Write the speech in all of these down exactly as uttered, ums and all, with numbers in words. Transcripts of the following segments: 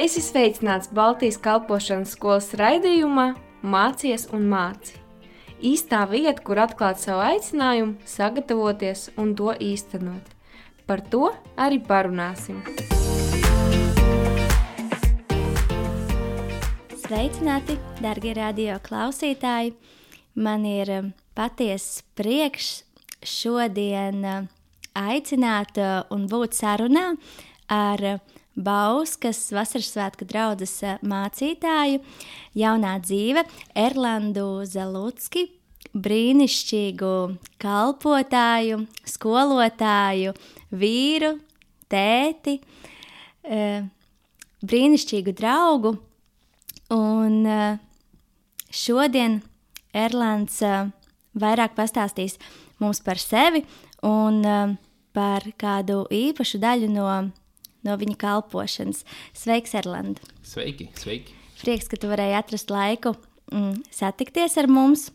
Esi sveicināts Baltijas kalpošanas skolas raidījumā Mācies un māci. Īstā vieta, kur atklāt savu aicinājumu, sagatavoties un to īstenot. Par to arī parunāsim. Sveicināti, darbie radio klausītāji! Man ir patiesas prieks šodien aicināt un būt sarunā ar Bauskas vasaras svētku draudzes mācītāju, jaunā dzīve, Erlandu Zalucki, brīnišķīgu kalpotāju, skolotāju, vīru, tēti, brīnišķīgu draugu. Un šodien Erlands vairāk pastāstīs mums par sevi un par kādu īpašu daļu no no viņa kalpošanas. Sveiks, Erland! Sveiki, sveiki! Prieks, ka tu varēji atrast laiku mm, satikties ar mums.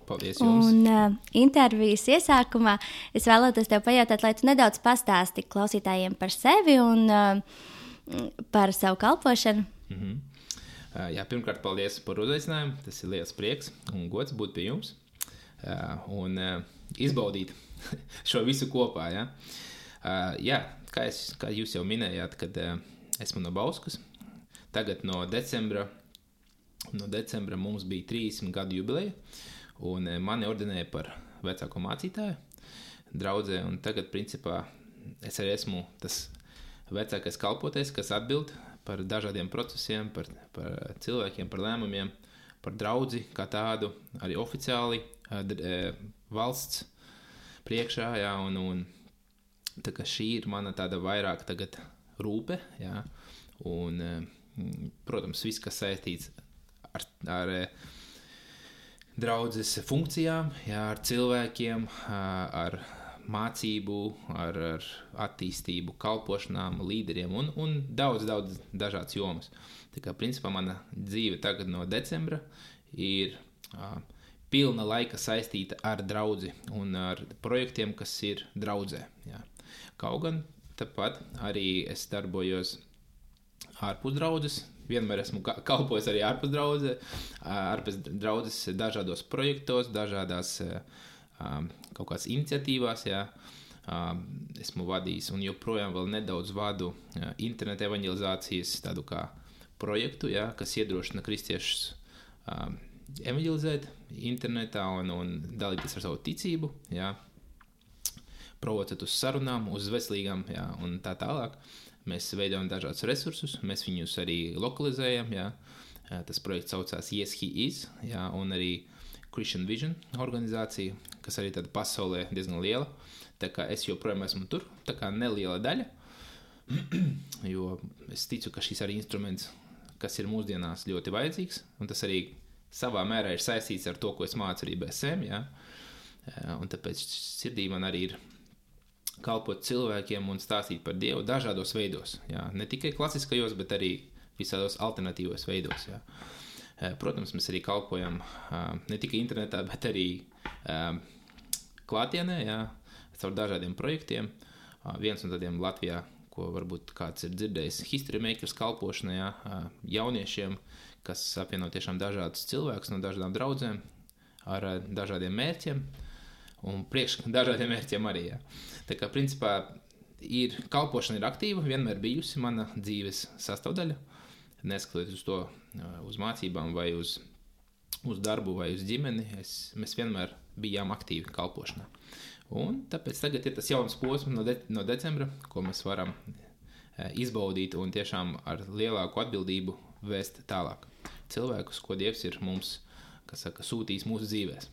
Paldies jums! Un uh, intervijas iesākumā es vēlētos tev pajautāt, lai tu nedaudz pastāsti klausītājiem par sevi un uh, par savu kalpošanu. Mm-hmm. Uh, jā, pirmkārt, paldies par uzaicinājumu. Tas ir liels prieks un gods būt pie jums uh, un uh, izbaudīt šo visu kopā. Ja? Uh, jā, kā, es, kā jūs jau minējāt, kad uh, esmu no Bauskas. Tagad no decembra, no decembra mums bija trīsdesmit gadu jubileja, un uh, mani ordinēja par vecāko mācītāju draudzē, un tagad, principā, es arī esmu tas vecākais kalpotais, kas atbild par dažādiem procesiem, par, par cilvēkiem, par lēmumiem, par draudzi kā tādu, arī oficiāli uh, d, uh, valsts priekšā, jā, un, un tā kā šī ir mana tāda vairāk tagad rūpe, jā, un, protams, viss, kas saistīts ar, ar draudzes funkcijām, jā, ar cilvēkiem, ar mācību, ar, ar attīstību, kalpošanām, līderiem un, un daudz, daudz dažādas jomas. Tā kā, principā, mana dzīve tagad no decembra ir uh, pilna laika saistīta ar draudzi un ar projektiem, kas ir draudzē, jā. Kaut gan tāpat arī es darbojos ārpus draudzes, vienmēr esmu kalpojis arī ārpus draudzes, ārpus draudzes dažādos projektos, dažādās kaut kādas iniciatīvās, jā. Esmu vadījis un joprojām vēl nedaudz vadu interneta evanģelizācijas tādu kā projektu, jā, kas iedrošina kristiešus evanģelizēt internetā un, un dalīties ar savu ticību, jā. Provocēt uz sarunām, uz veselīgām, jā, un tā tālāk. Mēs veidojam dažādus resursus, mēs viņus arī lokalizējam, jā. Tas projekts saucās Yes, He Is, jā, un arī Christian Vision organizācija, kas arī tāda pasaulē diezgan liela. Tā kā es joprojām esmu tur, tā kā neliela daļa, jo es ticu, ka šis arī instruments, kas ir mūsdienās ļoti vajadzīgs, un tas arī savā mērā ir saistīts ar to, ko es mācu arī B S M, jā. Un tāpēc sirdī man arī ir kalpot cilvēkiem un stāstīt par Dievu dažādos veidos, jā. Ne tikai klasiskajos, bet arī visādos alternatīvos veidos, jā. Protams, mēs arī kalpojam ne tikai internetā, bet arī klātienē, jā, caur dažādiem projektiem. Viens no tādiem Latvijā, ko varbūt kāds ir dzirdējis, History Makers kalpošanā, jā, jauniešiem, kas apvieno tiešām dažādus cilvēkus no dažādām draudzēm ar dažādiem mērķiem. Un priekš dažādiem mērķiem arī, jā. Tā kā, principā, ir, kalpošana ir aktīva, vienmēr bijusi mana dzīves sastāvdaļa, neskatoties uz to, uz mācībām vai uz, uz darbu vai uz ģimeni, es, mēs vienmēr bijām aktīvi kalpošanā. Un tāpēc tagad ir tas jauns posms no, de, no decembra, ko mēs varam izbaudīt un tiešām ar lielāku atbildību vēst tālāk cilvēkus, ko Dievs ir mums, kas saka, sūtījis mūsu dzīvēs.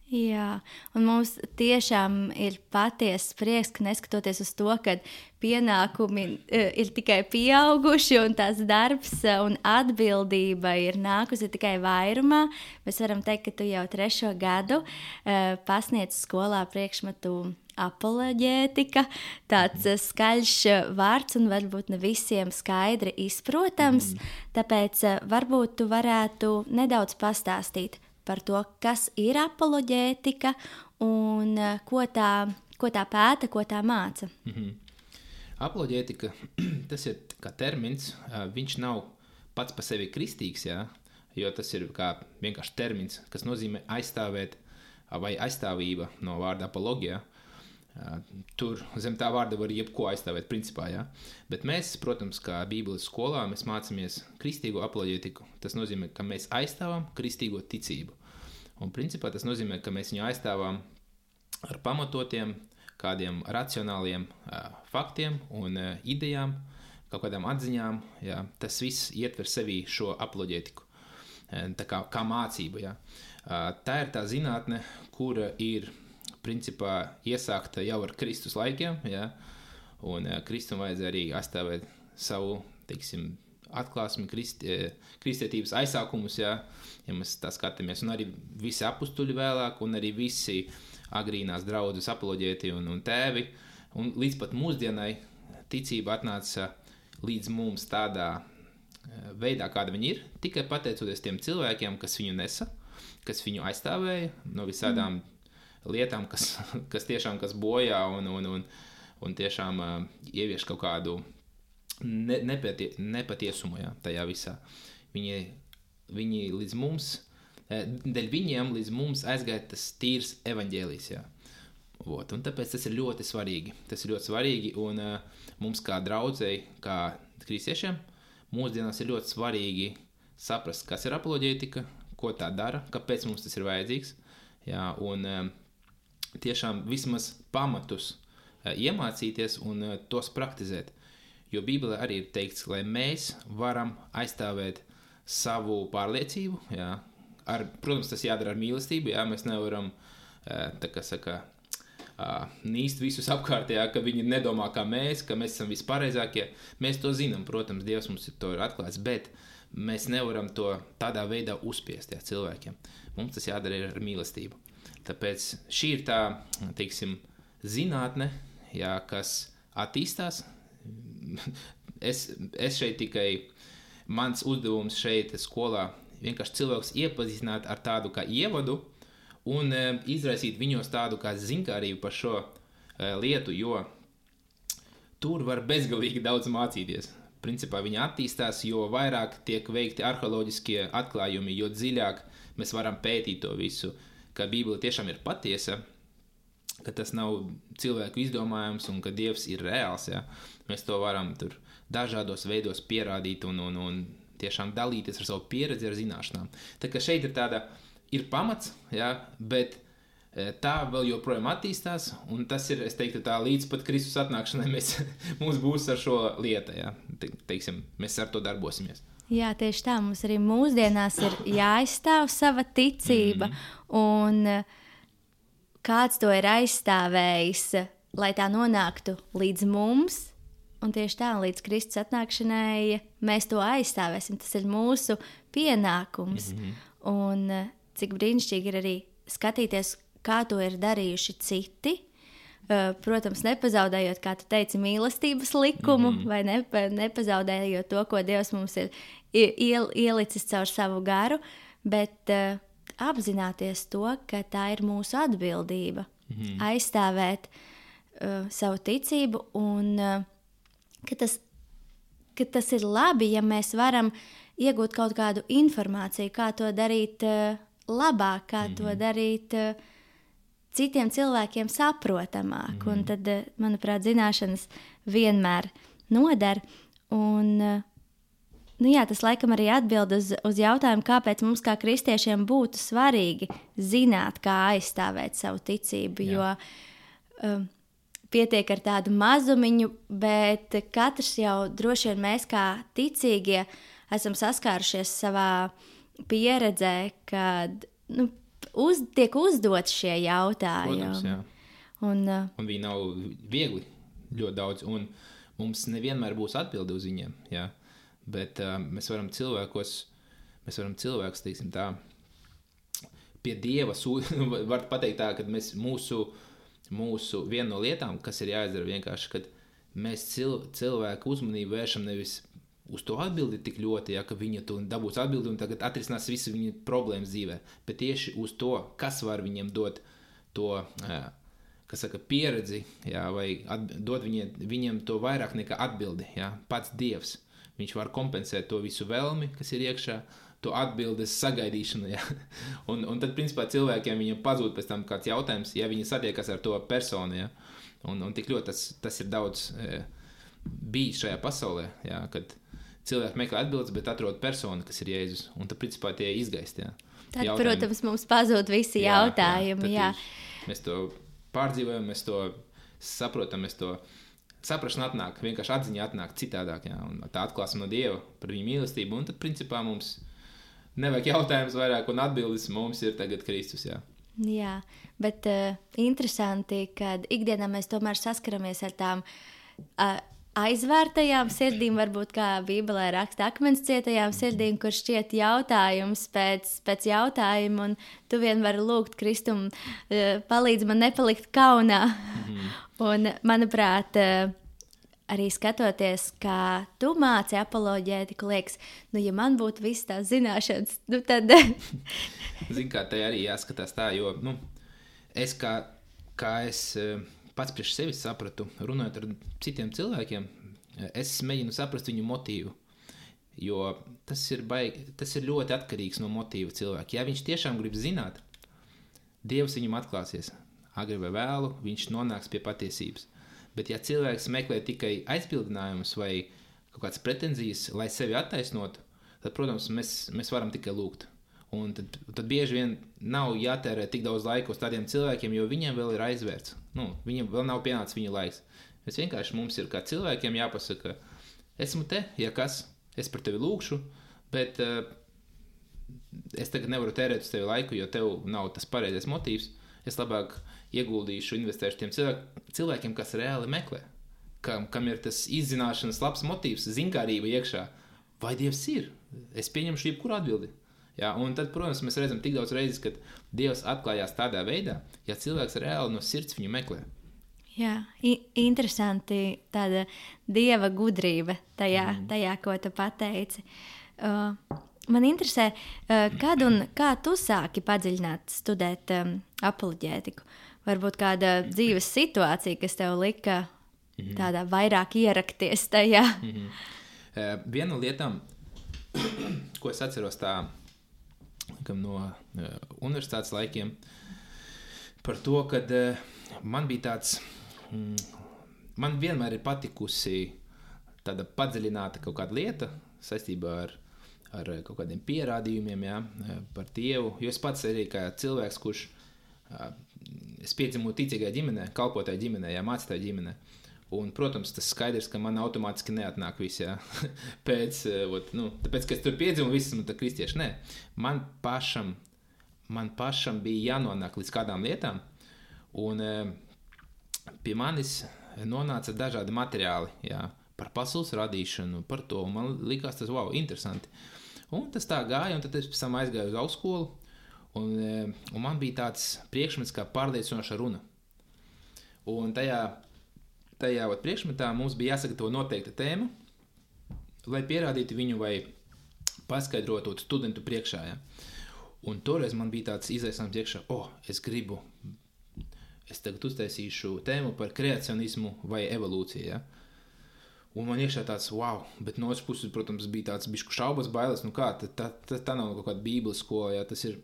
Jā, un mums tiešām ir patiesas prieks, ka neskatoties uz to, ka pienākumi ir tikai pieauguši un tās darbs un atbildība ir nākusi tikai vairumā, mēs varam teikt, ka tu jau trešo gadu pasniedz skolā priekšmetu apoloģētika, tāds skaļš vārds un varbūt ne visiem skaidri izprotams, mm. tāpēc varbūt tu varētu nedaudz pastāstīt par to, kas ir apoloģētika un ko tā, ko tā pēta, ko tā māca. Mm-hmm. Apoloģētika, tas ir kā termins, viņš nav pats par sevi kristīgs, jā, jo tas ir kā vienkārši termins, kas nozīmē aizstāvēt vai aizstāvība no vārda apologijā. Tur zem tā vārda var jebko aizstāvēt principā, jā. Bet mēs, protams, kā Bībeles skolā, mēs mācāmies kristīgo apoloģētiku. Tas nozīmē, ka mēs aizstāvam kristīgo ticību. Un principā tas nozīmē, ka mēs viņu aizstāvam ar pamatotiem, kādiem racionāliem uh, faktiem un uh, idejām, kaut kādām atziņām, jā. Tas viss ietver sevī šo apoloģētiku, tā kā, kā mācību, jā. Uh, tā ir tā zinātne, kura ir principā iesākta jau ar Kristus laikiem, jā, un uh, Kristum vajadzēja arī aizstāvēt savu, teiksim, atklāsmi, krist, kristietības aizsākumus, jā, ja mēs tā skatāmies, un arī visi apustuļi vēlāk, un arī visi agrīnās draudzes apoloģēti un, un tēvi, un līdz pat mūsdienai ticība atnāca līdz mums tādā veidā, kāda viņa ir, tikai pateicoties tiem cilvēkiem, kas viņu nesa, kas viņu aizstāvēja no visādām mm. lietām, kas, kas tiešām kas bojā un, un, un, un tiešām uh, ievieš kaut kādu ne, nepatie, nepatiesumu, jā, tajā visā. Viņi, viņi līdz mums, dēļ viņiem līdz mums aizgāja tas tīrs evaņģēlijs, jā. Vot, un tāpēc tas ir ļoti svarīgi. Tas ir ļoti svarīgi, un uh, mums kā draudzei, kā kristiešiem, mūsdienās ir ļoti svarīgi saprast, kas ir apoloģētika, ko tā dara, kāpēc mums tas ir vajadzīgs, jā, un uh, tiešām vismaz pamatus uh, iemācīties un uh, tos praktizēt. Jo Bībelē arī ir teikts, lai mēs varam aizstāvēt savu pārliecību, jā, ar, protams, tas jādara ar mīlestību, jā, mēs nevaram, tā kā saka, nīst visus apkārtējā, ka viņi nedomā kā mēs, ka mēs esam vispareizākie. Mēs to zinām, protams, Dievs mums to ir atklāts, bet mēs nevaram to tādā veidā uzspiest, jā, cilvēkiem. Mums tas jādara ar mīlestību. Tāpēc šī ir tā, teiksim, zinātne, jā, kas attīstās. Es, es šeit tikai, mans uzdevums šeit skolā vienkārši cilvēks iepazīstināt ar tādu kā ievadu un e, izraisīt viņos tādu kā zinkārību par šo e, lietu, jo tur var bezgalīgi daudz mācīties. Principā viņi attīstās, jo vairāk tiek veikti arheoloģiskie atklājumi, jo dziļāk mēs varam pētīt to visu, ka Bībele tiešām ir patiesa, ka tas nav cilvēku izdomājums un ka Dievs ir reāls, ja? Mēs to varam tur dažādos veidos pierādīt un, un, un tiešām dalīties ar savu pieredzi, ar zināšanām. Tā kā šeit ir tāda, ir pamats, ja? Bet tā vēl joprojām attīstās, un tas ir, es teiktu, tā līdz pat Kristus atnākšanai mēs, mums būs ar šo lietu, ja? Te, teiksim, mēs ar to darbosimies. Jā, tieši tā, mums arī mūsdienās ir jāaizstāv sava ticība, mm-hmm. un kāds to ir aizstāvējis, lai tā nonāktu līdz mums, un tieši tā, līdz Kristus atnākšanai mēs to aizstāvēsim. Tas ir mūsu pienākums. Mm-hmm. Un cik brīnišķīgi ir arī skatīties, kā to ir darījuši citi. Protams, nepazaudējot, kā tu teici, mīlestības likumu, mm-hmm. vai ne, nepazaudējot to, ko Dievs mums ir iel, ielicis caur savu garu, bet uh, apzināties to, ka tā ir mūsu atbildība. Mm-hmm. Aizstāvēt uh, savu ticību un uh, ka, tas, ka tas ir labi, ja mēs varam iegūt kaut kādu informāciju, kā to darīt uh, labāk, kā mm-hmm. to darīt uh, citiem cilvēkiem saprotamāk. Mm-hmm. Un tad, uh, manuprāt, zināšanas vienmēr noder. Un, uh, nu jā, tas laikam arī atbild uz, uz jautājumu, kāpēc mums kā kristiešiem būtu svarīgi zināt, kā aizstāvēt savu ticību, jā. Jo um, pietiek ar tādu mazumiņu, bet katrs jau droši vien mēs kā ticīgie esam saskārušies savā pieredzē, kad nu, uz, tiek uzdot šie jautājumi. Protams, jā. Un, uh, un viņi nav viegli ļoti daudz, un mums nevienmēr būs atbildi uz viņiem, jā. Bet uh, mēs varam cilvēkos, mēs varam cilvēkus, teiksim tā, pie Dieva sū- var pateikt tā, ka mēs mūsu, mūsu viena no lietām, kas ir jāizdara vienkārši, kad mēs cil, cilvēku uzmanību vēršam nevis uz to atbildi tik ļoti, ja, ka viņa to dabūs atbildi un tagad atrisinās visu viņa problēmas dzīvē, bet tieši uz to, kas var viņiem dot to, uh, kas saka, pieredzi, jā, vai at, dod viņiem, viņiem to vairāk nekā atbildi, jā, pats Dievs. Viņš var kompensēt to visu vēlmi, kas ir iekšā, to atbildes sagaidīšanu, jā. Un, un tad, principā, cilvēkiem viņam pazūd pēc tam kāds jautājums, ja viņi satiekas ar to personu, jā. Un, un tik ļoti tas, tas ir daudz e, bijis šajā pasaulē, jā, kad cilvēki meklē atbildes, bet atrod personu, kas ir Jēzus, un tad, principā, tie izgaist, jā. Tad, jautājumi. Protams, mums pazūd visi jā, jautājumi, jā. jā. Mēs to pārdzīvojam, mēs to saprotam, mēs to saprašana atnāk, vienkārši atziņa atnāk citādāk, jā, un tā atklāsme no Dieva par viņu mīlestību, un tad, principā, mums nevajag jautājums vairāk, un atbildes mums ir tagad Kristus, jā. Jā, bet uh, interesanti, kad ikdienā mēs tomēr saskaramies ar tām uh, aizvērtajām sirdīm, varbūt kā Bībelē raksta akmens cietajām sirdīm, kur šķiet jautājums pēc, pēc jautājuma, un tu vien vari lūgt Kristum, uh, palīdz man nepalikt kaunā. Mm-hmm. Un, manuprāt, uh, arī skatoties, kā tu māci apoloģētiku, liekas, nu, ja man būtu viss tās zināšanas, nu, tad... Zini, kā te arī jāskatās tā, jo, nu, es kā, kā es pats priekš sevis sapratu, runājot ar citiem cilvēkiem, es mēģinu saprast viņu motīvu, jo tas ir, baigi, tas ir ļoti atkarīgs no motīva cilvēka. Ja viņš tiešām grib zināt, Dievs viņam atklāsies, agri vai vēlu, viņš nonāks pie patiesības. Bet ja cilvēks meklē tikai aizbildinājumus vai kaut kādas pretenzijas, lai sevi attaisnotu, tad, protams, mēs, mēs varam tikai lūgt. Un tad, tad bieži vien nav jātērē tik daudz laika uz tādiem cilvēkiem, jo viņiem vēl ir aizvērts. Nu, viņiem vēl nav pienācis viņa laiks. Mēs vienkārši mums ir kā cilvēkiem jāpasaka, esmu te, ja kas, es par tevi lūkšu, bet uh, es tagad nevaru tērēt uz tevi laiku, jo tev nav tas pareizais motīvs. Es labāk ieguldīšu, investēšu tiem cilvēk, cilvēkiem, kas reāli meklē, kam, kam ir tas izzināšanas labs motīvs, zinkārība iekšā. Vai Dievs ir? Es pieņemšu jebkuru atbildi. Jā, un tad, protams, mēs redzam tik daudz reizes, kad Dievs atklājās tādā veidā, ja cilvēks reāli no sirds viņu meklē. Jā, interesanti tāda Dieva gudrība tajā, mm. tajā ko tu pateici. Uh, man interesē, uh, kad un kā tu sāki padziļināt studēt um, apoloģētiku? Varbūt kāda dzīves situācija, kas tev lika mm-hmm. tādā vairāk ierakties tajā? Mm-hmm. Uh, viena no lietām, ko es atceros tā, no uh, universitātes laikiem, par to, kad uh, man bija tāds, mm, man vienmēr ir patikusi tāda padziļināta kaut kāda lieta saistībā ar, ar kaut kādiem pierādījumiem, jā, par Dievu, jo es pats arī kā cilvēks, kurš uh, es piedzimu ticīgai ģimenē, kalpotāji ģimenē, jā, mācītāji ģimenē. Un, protams, tas skaidrs, ka man automātiski neatnāk viss, jā. Pēc, ot, nu, tāpēc, ka es tur piedzimu, viss esmu tā kristieši, nē. Man pašam, man pašam bija jānonāk līdz kādām lietām, un e, pie manis nonāca dažādi materiāli, jā, par pasaules radīšanu, par to, un man likās tas, wow, interesanti. Un tas tā gāja, un tad es pēc tam aizgāju uz augstskolu, un, e, un man bija tāds priekšmets kā pārliecinoša runa. Un tajā Tajā ot, priekšmetā mums bija jāsagatavo noteikta tēma, lai pierādītu viņu vai paskaidrotu studentu priekšā. Ja. Un toreiz man bija tāds izaicinājums priekšā, o, oh, es gribu, es tagad uztaisīšu tēmu par kreacionismu vai evolūciju. Ja. Un man iekšā tāds, wow, bet no otras puses, protams, bija tāds bišku šaubas, bailes, nu kā, tā, tā, tā, tā nav kaut kāda bībeles skola, ja. tas, ir,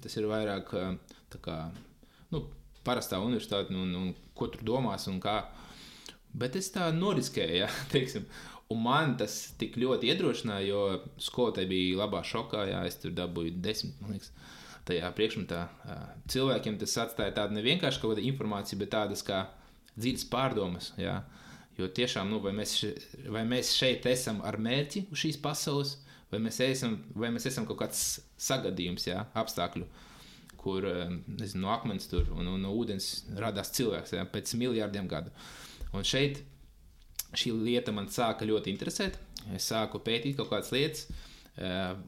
tas ir vairāk tā kā, nu, parastā universitāte, un, un ko tur domās un kā. Bet es tā noriskēju, ja, teiksim, un man tas tik ļoti iedrošināja, jo skolotāji bija labā šokā, jā, es tur dabūju desmit, man liekas, tajā priekšmetā. Cilvēkiem tas atstāja tādu nevienkārši kaut kāda informācija, bet tādas kā dzīves pārdomas, jā, jo tiešām, nu, vai mēs, vai mēs šeit esam ar mērķi uz šīs pasaules, vai mēs esam, vai mēs esam kaut kāds sagadījums, jā, apstākļu, kur, nezinu, no akmens tur un, un no ūdens radās cilvēks, jā, pēc miljārdiem gadu. Un šeit šī lieta man sāka ļoti interesēt. Es sāku pētīt kaut kādas lietas,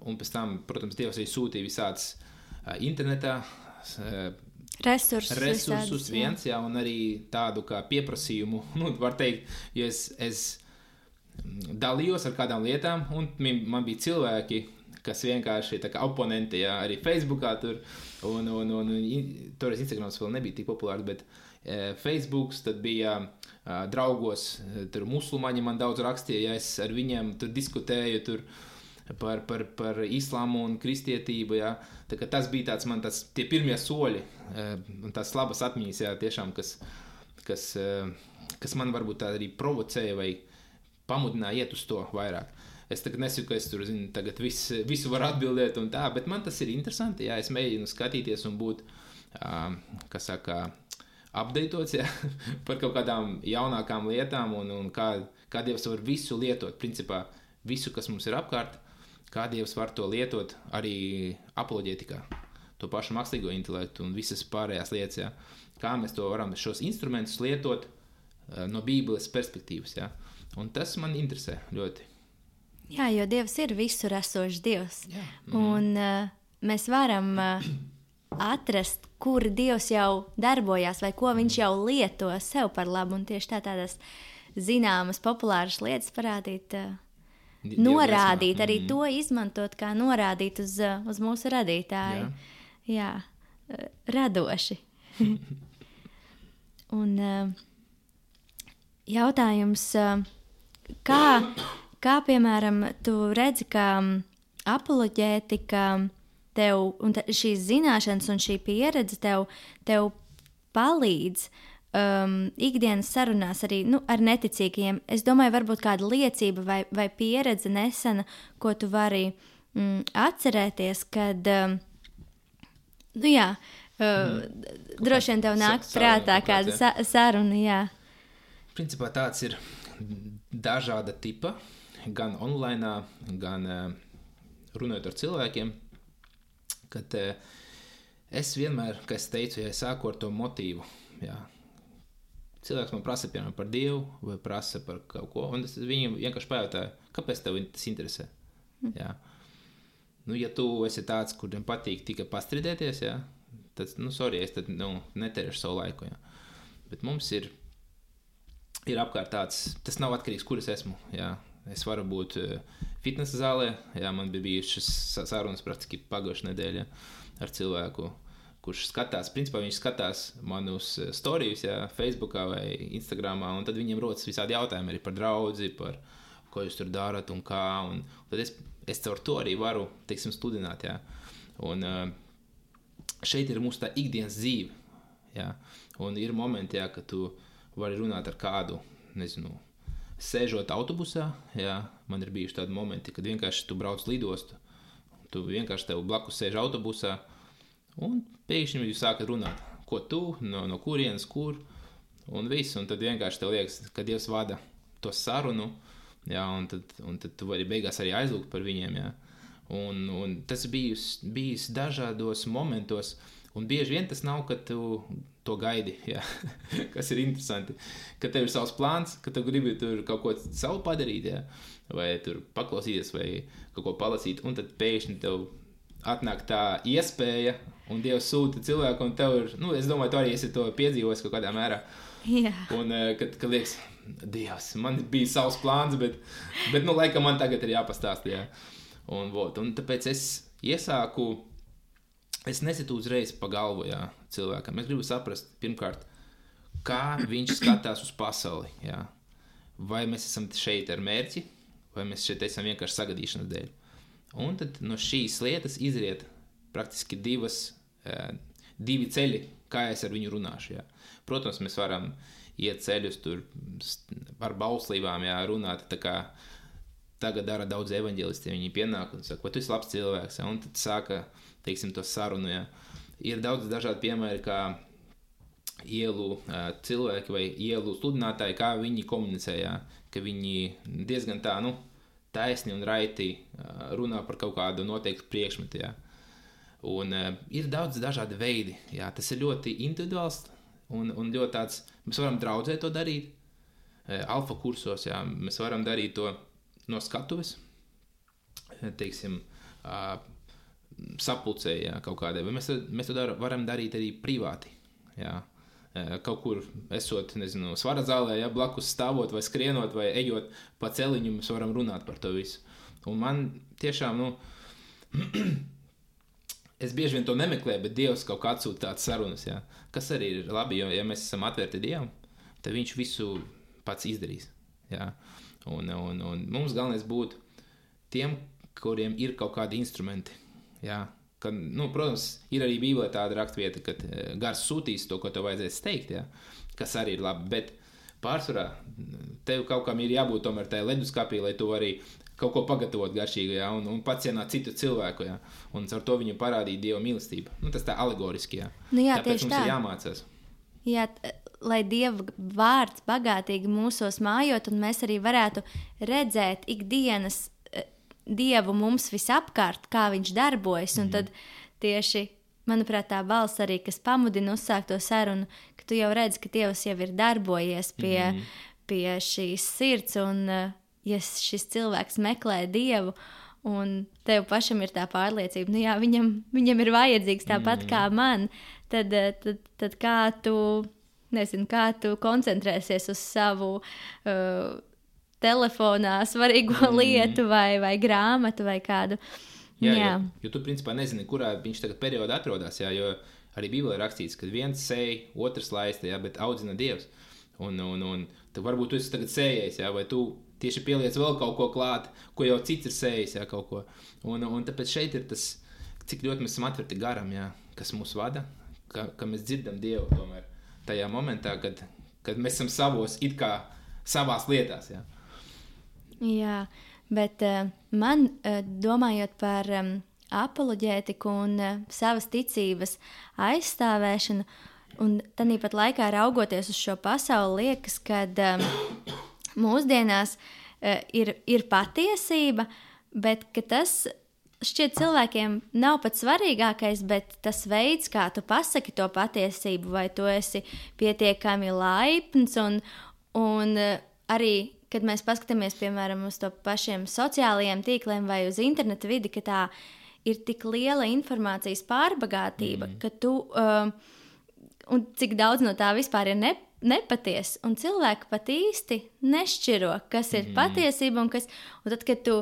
un pēc tam, protams, Dievs arī sūtīja visāds internetā resursus, resursus viens, jā. Jā, un arī tādu kā pieprasījumu, nu, var teikt, jo es, es dalījos ar kādām lietām, un man bija cilvēki, kas vienkārši tā kā oponenti, jā, arī Facebookā tur, un, un, un, un toreiz Instagrams vēl nebija tik populārs, bet Facebooks, tad bija uh, draugos, tur musulmaņi man daudz rakstīja, ja es ar viņiem tur diskutēju tur par, par, par islāmu un kristietību, jā. Tā kā tas bija tāds man tas, tie pirmie soļi, uh, un tās labas atmiņas, jā, tiešām, kas, kas, uh, kas man varbūt tā arī provocēja vai pamudināja iet uz to vairāk. Es tagad nesaku, ka es tur, zinu, tagad vis, visu varu atbildēt un tā, bet man tas ir interesanti, jā, es mēģinu skatīties un būt, uh, kā saka, updatēts, jā, par kaut kādām jaunākām lietām un, un kā, kā Dievs var visu lietot, principā visu, kas mums ir apkārt, kā Dievs var to lietot arī apoloģētikā, to pašu mākslīgo intelektu un visas pārējās lietas, jā, kā mēs to varam šos instrumentus lietot uh, no Bībeles perspektīvas, jā, un tas man interesē ļoti. Jā, jo Dievs ir visur esošs Dievs. Jā. Mm. Un uh, mēs varam uh, atrast, kur Dievs jau darbojās vai ko viņš jau lieto sev par labu. Un tieši tā tādas zināmas, populāras lietas parādīt, uh, norādīt, mm. arī to izmantot, kā norādīt uz, uh, uz mūsu radītāju. Jā, Jā uh, radoši. Un uh, jautājums, uh, kā... Kā, piemēram, tu redzi, ka apoloģētika tev, un te, šīs zināšanas un šī pieredze tev, tev palīdz um, ikdienas sarunās arī nu, ar neticīgajiem? Es domāju, varbūt kāda liecība vai, vai pieredze nesena, ko tu vari mm, atcerēties, kad, um, nu jā, uh, mm. droši vien tev nāk Sa prātā kāda sa saruna, jā. Principā tāds ir dažāda tipa. Gan online, gan uh, runājot ar cilvēkiem, kad uh, es vienmēr, kā es teicu, ja es sāku ar to motīvu, jā, cilvēks man prasa, piemēram, par Dievu vai prasa par kaut ko, un es viņam vienkārši pajautāju, kāpēc tev tas interesē, jā. Nu, ja tu esi tāds, kuriem patīk tikai pastridēties, jā, tad, nu, sorry, es tad, nu, neterēšu savu laiku, jā, bet mums ir, ir apkārt tāds, tas nav atkarīgs, kur es esmu, jā. Es varu būt fitnesa zālē, jā, man bija bijušas sarunas praktiski pagājušajā nedēļā ar cilvēku, kurš skatās, principā viņš skatās manus storijus, jā, Facebookā vai Instagramā, un tad viņiem rodas visādi jautājumi arī par draudzi, par ko jūs tur darat un kā, un tad es, es caur to arī varu, teiksim, studināt, jā, un šeit ir mūsu tā ikdienas dzīve, jā, un ir momenti, jā, ka tu vari runāt ar kādu, nezinu, sēžot autobusā, jā, man ir bijuši tādi momenti, kad vienkārši tu brauc lidostu, tu vienkārši tev blakus sēž autobusā, un pēkšņi jūs sākat runāt, ko tu, no, no kurienes, kur, un viss, un tad vienkārši tev liekas, ka Dievs vada to sarunu, jā, un tad, un tad tu vari beigās arī aizlūgt par viņiem, jā, un, un tas bijis, bijis dažādos momentos, un bieži vien tas nav, ka tu to gaidi, jā, kas ir interesanti, ka tev ir savs plāns, ka tu gribi tur kaut ko savu padarīt, jā, vai tur paklausīties, vai kaut ko palasīt, un tad pēkšņi tev atnāk tā iespēja, un Dievs sūta cilvēku, un tev ir, nu, es domāju, tu arī esi to piedzīvojis kaut kādā mērā, jā. Un, kad, kad liekas, Dievs, man bija savs plāns, bet, bet nu, laikam man tagad ir jāpastāst, jā, un, vot, un tāpēc es iesāku. Es nesitu uzreiz pa galvu, jā, cilvēkam. Es gribu saprast, pirmkārt, kā viņš skatās uz pasauli, jā. Vai mēs esam šeit ar mērķi, vai mēs šeit esam vienkārši sagadīšanas dēļ. Un tad no šīs lietas izriet praktiski divas, divi ceļi, kā es ar viņu runāšu, jā. Protams, mēs varam iet ceļus tur ar bauslībām, jā, runāt, tā kā tagad dara daudz evaņģelisti, viņi pienāk un saka, vai tu esi labs cilvēks, jā, un tad sāka, teiksim, to sarunu, jā. Ir daudz dažādi piemēri, kā ielu uh, cilvēki vai ielu sludinātāji, kā viņi komunicē, jā, ka viņi diezgan tā, nu, taisni un raiti uh, runā par kaut kādu noteiktu priekšmetu, jā. Un uh, ir daudz dažādi veidi, jā, tas ir ļoti individuāls un, un ļoti tāds, mēs varam draudzē to darīt, uh, alfa kursos, jā, mēs varam darīt to no skatuves, teiksim, uh, sapulcē, jā, kaut kādai, vai mēs, mēs to dar, varam darīt arī privāti, jā, kaut kur esot, nezinu, svara zālē, jā, blakus stāvot vai skrienot vai ejot pa celiņu, mēs varam runāt par to visu. Un man tiešām, nu, es bieži vien to nemeklēju, bet Dievs kaut kā atsūta tādas sarunas, jā. Kas arī ir labi, jo, ja mēs esam atvērti Dievam, tad viņš visu pats izdarīs, jā. Un, un, un mums galvenais būtu tiem, kuriem ir kaut kādi instrumenti, jā. Kad, nu, protams, ir arī Bībelē tāda rakstvieta, kad Gars sūtīs to, ko tev vajadzēs teikt, jā, kas arī ir labi, bet pārsvarā tev kaut kam ir jābūt tomēr tajā leduskapī, lai tu arī kaut ko pagatavot garšīgu, jā, un, un pacienāt citu cilvēku, jā, un ar to viņu parādīt Dieva mīlestību. Nu, tas tā alegoriski, jā. Nu jā, tāpēc mums tā. ir jāmācās. Jā, t- lai Dieva vārds bagātīgi mūsos mājot, un mēs arī varētu redzēt ikdienas Dievu mums visapkārt, kā viņš darbojas, un mm. tad tieši, manuprāt, tā balss arī, kas pamudina uzsākt to sarunu, ka tu jau redzi, ka Dievs jau ir darbojies pie, mm. pie šīs sirds, un ja šis cilvēks meklē Dievu, un tev pašam ir tā pārliecība, nu jā, viņam, viņam ir vajadzīgs tāpat mm. kā man, tad, tad, tad kā tu, nezinu, kā tu koncentrēsies uz savu uh, telefonā svarīgo mm. lietu vai, vai grāmatu vai kādu. Jā, jā. Jo, jo tu principā nezini, kurā viņš tagad periodā atrodas, jā, jo arī Bībelē ir rakstīts, ka viens sēj, otrs laista, jā, bet audzina Dievs. Un, un, un tad varbūt tu esi tagad sējējis, jā, vai tu tieši pieliec vēl kaut ko klāt, ko jau cits ir sējis, jā, kaut ko. Un, un tāpēc šeit ir tas, cik ļoti mēs esam atverti garam, jā, kas mūs vada, ka, ka mēs dzirdam Dievu tomēr tajā momentā, kad, kad mēs esam savos, it kā savās lietās, jā. Jā, bet uh, man, uh, domājot par um, apoloģētiku un uh, savas ticības aizstāvēšanu, un tāpat laikā raugoties uz šo pasauli, liekas, ka um, mūsdienās uh, ir, ir patiesība, bet ka tas šķiet cilvēkiem nav pats svarīgākais, bet tas veids, kā tu pasaki to patiesību, vai tu esi pietiekami laipns un, un uh, arī kad mēs paskatāmies, piemēram, uz to pašiem sociālajiem tīkliem vai uz interneta vidi, ka tā ir tik liela informācijas pārbagātība, mm. ka tu, um, un cik daudz no tā vispār ir ne, nepaties, un cilvēki pat īsti nešķiro, kas ir mm. patiesība, un kas, un tad, kad tu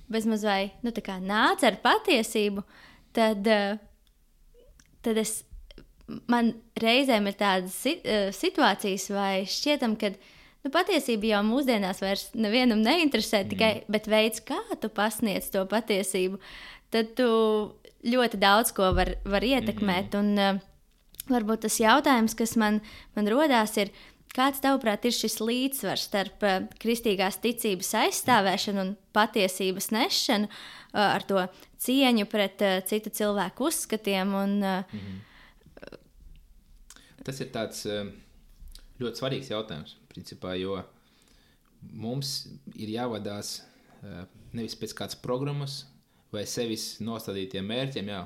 bezmaz vai, nu, tā kā nāc ar patiesību, tad, uh, tad es, man reizēm ir tādas situācijas vai šķietam, kad nu, patiesība jau mūsdienās vairs nevienam neinteresē, mm. tikai, bet veids, kā tu pasniedz to patiesību, tad tu ļoti daudz ko var, var ietekmēt. Mm. Un uh, varbūt tas jautājums, kas man, man rodās, ir, kāds tavuprāt ir šis līdzsvars starp uh, kristīgās ticības aizstāvēšanu un patiesības nešanu, uh, ar to cieņu pret uh, citu cilvēku uzskatiem. Un, uh, mm. Tas ir tāds uh, ļoti svarīgs jautājums. Principā, jo mums ir jāvadās uh, nevis pēc kādas programmas vai sevis nostādītiem mērķiem, jā,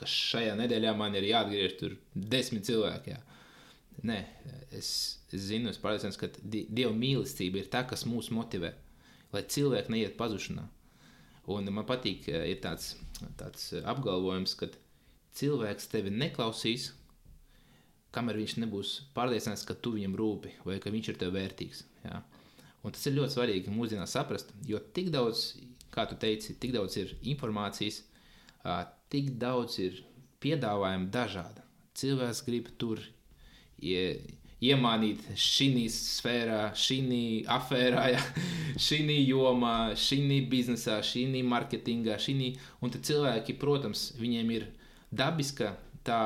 ka šajā nedēļā man ir jāatgriež tur desmit cilvēki. Jā. Nē, es, es zinu, es pārliecināts, ka di- Dieva mīlestība ir tā, kas mūs motivē, lai cilvēki neiet pazušanā. Un man patīk, ir tāds, tāds apgalvojums, ka cilvēks tevi neklausīs, kamēr viņš nebūs pārliecināts, ka tu viņam rūpi vai ka viņš ir tev vērtīgs. Jā. Un tas ir ļoti svarīgi mūsdienās saprast, jo tik daudz, kā tu teici, tik daudz ir informācijas, tik daudz ir piedāvājumu dažāda. Cilvēks grib tur ie, iemānīt šī sfērā, šī afērā, šī jomā, šī biznesā, šī marketingā, šī, un tad cilvēki, protams, viņiem ir dabiska tā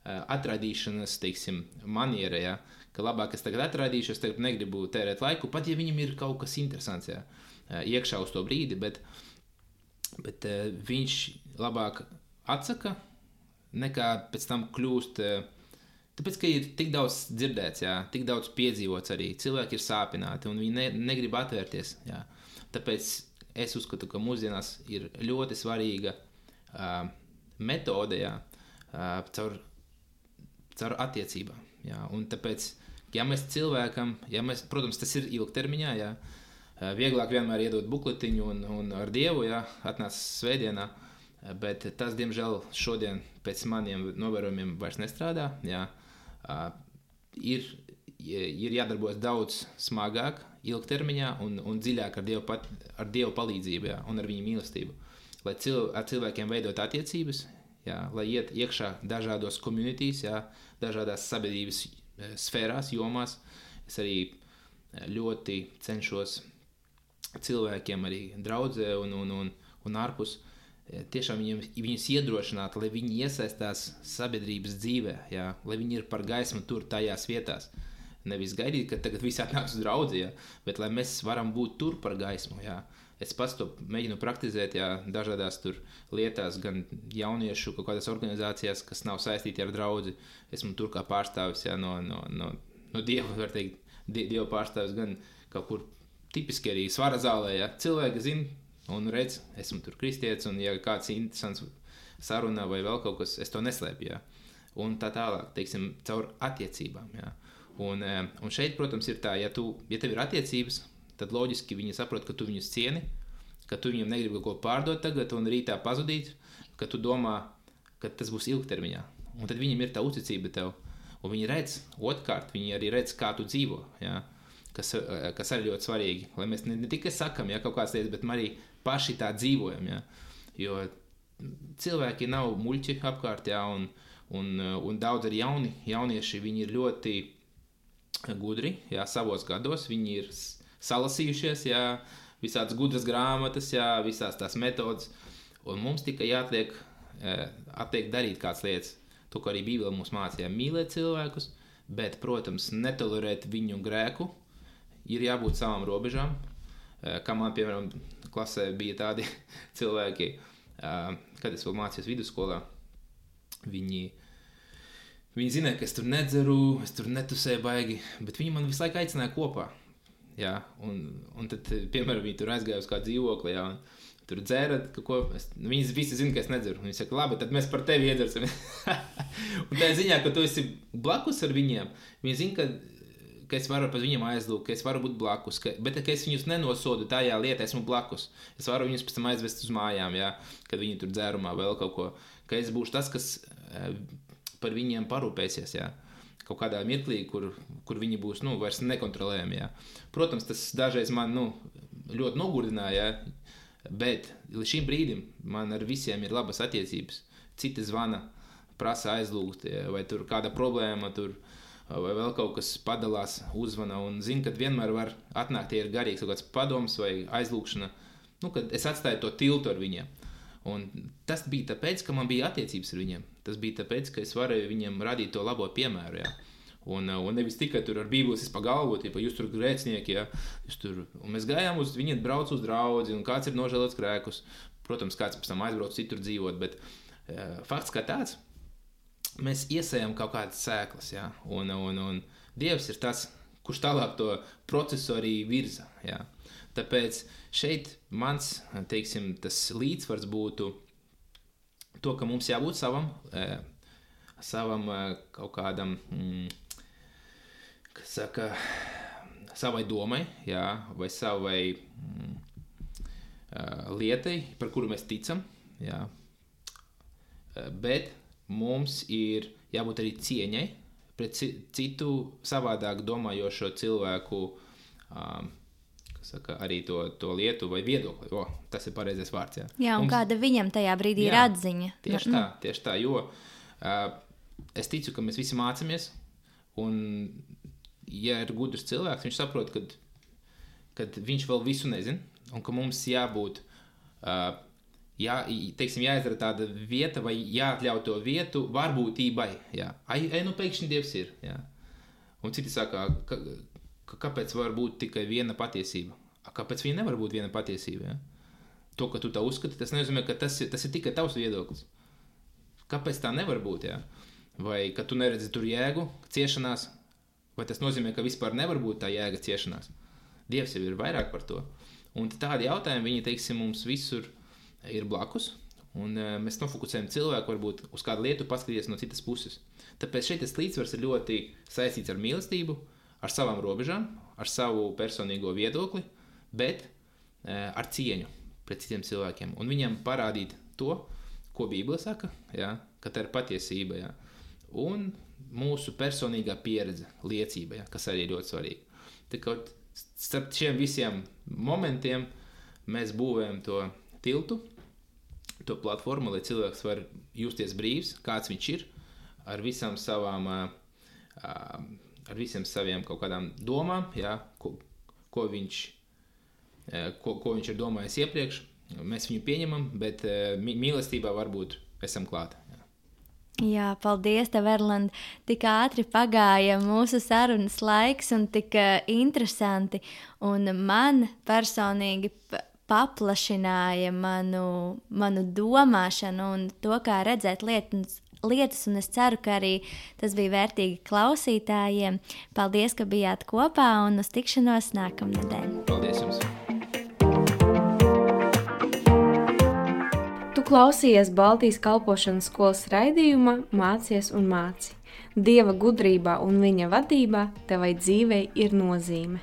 atraidīšanas, teiksim, maniera, ja, ka labāk es tagad atraidīšu, es tagad negribu tērēt laiku, pat ja viņam ir kaut kas interesants, ja, iekšā uz to brīdi, bet, bet viņš labāk atsaka, nekā pēc tam kļūst, tāpēc, ka ir tik daudz dzirdēts, ja, tik daudz piedzīvots arī, cilvēki ir sāpināti un viņi ne, negrib atvērties, ja. Tāpēc es uzskatu, ka mūsdienās ir ļoti svarīga uh, metode, ja, uh, caur caur attiecībām, jā, un tāpēc, ja mēs cilvēkam, ja mēs, protams, tas ir ilgtermiņā, jā, vieglāk vienmēr iedot bukletiņu un, un ar Dievu, jā, atnāc svētdienā, bet tas, diemžēl, šodien pēc maniem novērojumiem vairs nestrādā, jā, ir, ir jādarbojas daudz smagāk, ilgtermiņā un, un dziļāk ar Dievu, pat, ar Dievu palīdzību, jā, un ar viņu mīlestību, lai cil, ar cilvēkiem veidot attiecības, jā, lai iet iekšā dažādos communities, jā, dažādās sabiedrības sfērās, jomās. Es arī ļoti cenšos cilvēkiem arī draudzē un, un, un, un ārpus tiešām viņiem, viņus iedrošināt, lai viņi iesaistās sabiedrības dzīvē, jā, lai viņi ir par gaismu tur tajās vietās. Nevis gaidīt, ka tagad visi atnāks uz draudzi, jā, bet lai mēs varam būt tur par gaismu. Jā. Es pats to mēģinu praktizēt, jā, dažādās tur lietās, gan jauniešu kaut kādās organizācijās, kas nav saistīti ar draudzi. Esmu tur kā pārstāvis, jā, no, no, no, no Dieva, var teikt, Dieva pārstāvis, gan kaut kur tipiski arī svara zālē, jā. Cilvēki zina un redz, esmu tur kristietis, un ja kāds interesants sarunā vai vēl kaut kas, es to neslēpju, jā. Un tā tālāk, teiksim, caur attiecībām, jā. Un, un šeit, protams, ir tā, ja, tu, ja tev ir attiecības, tad loģiski viņi saprot, ka tu viņus cieni, ka tu viņiem negribi kaut ko pārdot tagad un rītā pazudīt, ka tu domā, ka tas būs ilgtermiņā. Un tad viņiem ir tā uzticība tev. Un viņi redz, otrkārt, viņi arī redz, kā tu dzīvo, jā, kas, kas arī ļoti svarīgi. Lai mēs ne, ne tikai sakam, jā, kaut kādas lietas, bet arī paši tā dzīvojam, jā. Jo cilvēki nav muļķi apkārt, jā, un, un, un daudz arī jauni, jaunieši, viņi ir ļoti gudri, jā, savos gados, viņi ir salasījušies, jā, visādas gudras grāmatas, jā, visās tās metodas, un mums tikai jāatliek, atliek darīt kādas lietas. To, kā arī Bībele mums mācīja, mīlēt cilvēkus, bet, protams, netolerēt viņu grēku, ir jābūt savām robežām, kā man, piemēram, klasē bija tādi cilvēki, kad es vēl mācījos vidusskolā, viņi, viņi zināja, ka es tur nedzeru, es tur netusēju baigi, bet viņi man visu laiku aicināja kopā. Jā, un, un tad, piemēram, viņi tur aizgāja uz kādu dzīvokli, jā, un tur dzērat, ka ko, es, viņi visi zina, ka es nedzeru. Viņi saka, labi, tad mēs par tevi iedzersim. Un tā ziņā, ka tu esi blakus ar viņiem, viņi zina, ka, ka es varu par viņiem aizlūgt, ka es varu būt blakus, ka, bet ka es viņus nenosodu tajā lietā, esmu blakus. Es varu viņus pēc tam aizvest uz mājām, jā, kad viņi tur dzērumā vēl kaut ko, ka es būšu tas, kas par viņiem parūpēsies, jā. Kaut kādā mirklī, kur, kur viņi būs, nu, vairs nekontrolējami, jā. Protams, tas dažreiz man, nu, ļoti nogurdināja, jā, bet līdz šim brīdim man ar visiem ir labas attiecības. Citi zvana, prasa aizlūgt, jā, vai tur kāda problēma, tur, vai vēl kaut kas padalās, uzvana, un zinu, ka vienmēr var atnākt, ja ir garīgs kaut kāds padoms vai aizlūgšana, nu, kad es atstāju to tiltu ar viņiem. Un tas bija tāpēc, ka man bija attiecības ar viņiem. Tas bija tāpēc, ka es varēju viņiem radīt to labo piemēru, jā. Un, un nevis tikai tur ar bībeles pa galvu, ja jūs tur grēcinieki, jā, jūs tur, un mēs gājām uz, viņi brauc uz draudzi, un kāds ir nožēlots grēkus. Protams, kāds pēc tam aizbrauc citur dzīvot, bet uh, fakts kā tāds, mēs iesējam kaut kādas sēklas, jā, un, un, un Dievs ir tas, kurš tālāk to procesu arī virza, jā. Tāpēc šeit mans, teiksim, tas līdzsvars būtu to, ka mums jābūt savam, uh, savam uh, kaut kādam, mm, kas saka, savai domai, jā, vai savai mm, uh, lietai, par kuru mēs ticam, jā. Uh, bet mums ir jābūt arī cieņai pret citu savādāk domājošo cilvēku, um, kas saka, arī to, to lietu vai viedokli. O, tas ir pareizais vārds, jā. Jā, un mums, kāda viņam tajā brīdī jā, ir atziņa. Tieši tā, tieši tā, jo uh, es ticu, ka mēs visi mācamies, un ja ir gudrs cilvēks, viņš saprot, kad, kad viņš vēl visu nezin, un ka mums jābūt, uh, jā, teiksim, jāizdara tāda vieta, vai jāatļauj to vietu varbūtībai, jā. Ai, ai, nu pēkšņi Dievs ir, jā. Un citi saka, ka, ka kāpēc var būt tikai viena patiesība? A, kāpēc viņa nevar būt viena patiesība, jā? To, ka tu tā uzskati, tas nenozīmē, ka tas ir, tas ir tikai tavs viedoklis. Kāpēc tā nevar būt, jā? Vai, ka tu neredzi tur jēgu, ciešanās, vai tas nozīmē, ka vispār nevar būt tā jēga ciešanās? Dievs jau ir vairāk par to. Un tādi jautājumi, viņi, teiksim, mums visur ir blakus, un uh, mēs nofokusējam cilvēku varbūt uz kādu lietu paskatīties no citas puses. Tāpēc šeit tas līdzsvars ir ļoti saistīts ar mīlestību, ar savām robežām, ar savu personīgo viedokli, bet uh, ar cieņu pret citiem cilvēkiem. Un viņiem parādīt to, ko Bībele saka, jā, ka tā ir patiesība, jā. Un mūsu personīgā pieredze, liecība, jā, kas arī ir ļoti svarīga. Tā kā starp šiem visiem momentiem mēs būvējam to tiltu, to platformu, lai cilvēks var justies brīvs, kāds viņš ir, ar visām savām, ar visiem saviem kaut kādām domām, jā, ko, ko, viņš, ko, ko viņš ir domājis iepriekš. Mēs viņu pieņemam, bet mīlestībā varbūt esam klāt. Jā, jā paldies tev, Erland. Tik ātri pagāja mūsu sarunas laiks un tik interesanti. Un man personīgi paplašināja manu, manu domāšanu un to, kā redzēt lietas, lietas, un es ceru, ka arī tas bija vērtīgi klausītājiem. Paldies, ka bijāt kopā un uz tikšanos nākamnedēļ. Paldies jums! Tu klausījies Baltijas kalpošanas skolas raidījumā Mācies un māci. Dieva gudrībā un viņa vadībā tevai dzīvei ir nozīme.